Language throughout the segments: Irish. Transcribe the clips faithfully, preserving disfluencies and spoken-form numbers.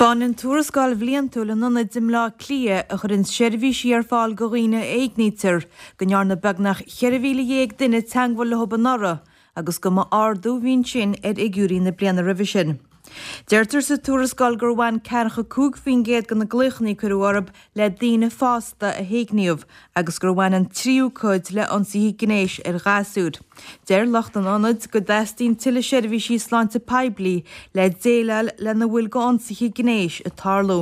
Taispeánann tuarascáil bhliantúil an Ionaid i mBleá Cliath a chuireann seirbhísí ar fáil do dhaoine a éignítear go ndearna beagnach ceithre mhíle dhéag duine teagmháil leo anuraidh agus go mba ardú a bhí ansin ar fhigiúirí na bliana roimhe sin. Deirtear sa tuarascáil gur bhain ceathracha cúig faoin gcéad de na glaochanna a cuireadh orthu le daoine fásta a héigníodh agus gur bhain an tríú cuid le ionsaithe gnéis ar ghasúir. Deir lucht an ionaid go dteastaíonn tuilleadh seirbhísí sláinte poiblí le déileáil lena bhfuil d'ionsaithe gnéis ag tarlú.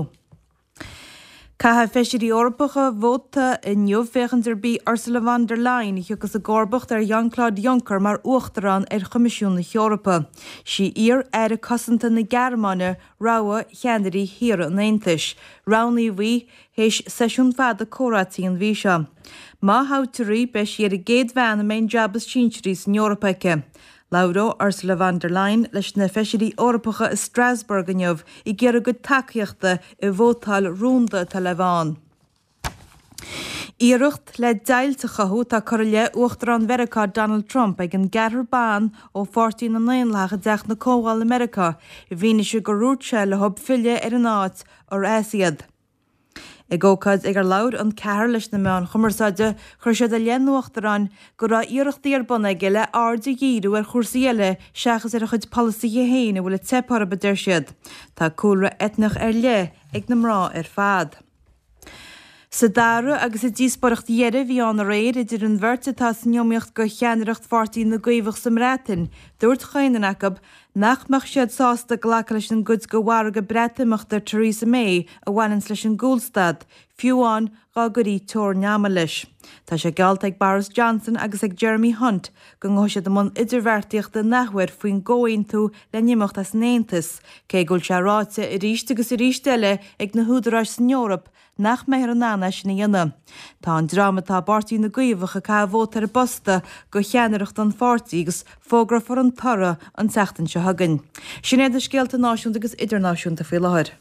Caithfidh feisirí Eorpacha vóta inniu féachaint arb í Ursula von der Leyen a thiocfas i gcomharbacht ar Jean-Claude Juncker mar uachtarán ar Choimisiún na hEorpa. Sí iar-aire cosanta na Gearmáine rogha cheannairí thíortha an Aontais. Roghnaíodh í théis seisiún fada comhráití an mhí seo. Má thoghtar í, beidh sí ar an gcéad bhean a mbeidh an jab is sinsearaí san Eoraip aici. Labhróidh Ursula von der Leyen leis na feisirí Eorpacha i Strasbourg inniu ag iarraidh a gcuid tacaíochta i vótáil rúnda atá le bheith ann. Iarracht le deighilt a chothú atá curtha i leith Uachtarán Mheiriceá Donald Trump ag an gceathrar ban ó Pháirtí na nDaonlathach i dTeach na Comhdhála i Meiriceá i bhfianaise gur dhúirt sé leo filleadh ar an áit ar as iad. Ag ócáid ag ar labhair an ceathrar leis na meáin chumarsáide, chuir siad i leith an Uachtaráin go raibh iarrachtaí ar bun aige le aird a dhíriú ar chúrsaí eile seachas ar a chuid polasaithe féin a bhfuil ag teip orthu, a deir siad. Tá cúlra eitneach ar leith ag na mná ar fad. Sa dara agus sa díospóireacht dheiridh a bhí ann aréir idir an bheirt atá san iomaíocht do cheannaireacht Pháirtí na gCaomhach sa mBreatain, dúirt chaon duine acu nach mbeadh siad sásta glacadh leis an gcuid de mhargadh Breatimeachta Theresa May a bhaineanns leis an gcúlstad, fiú amháin dá gcuirí teorainn ama leis. Tá sé geallta ag Boris Johnson agus ag Jeremy Hunt go ngabhfaidh siad i mbun idirbheartaíochta in athuair faoin gcomhaontú le n-imeacht as an Aontas, cé go bhfuil sé ráite arís agus arís eile ag na húdaráis san Eoraip nach mbeifear in ann é sin a dhéanamh. Tá an dream atá i bPáirtí na gCaomhach ag caitheamh vóta ar an bposta do cheannaireacht an pháirtí agus fógrófar an toradh an tseachtain seo chugainn. Sin iad na scéalta náisiúnta agus idirnáisiúnta faoi láthair.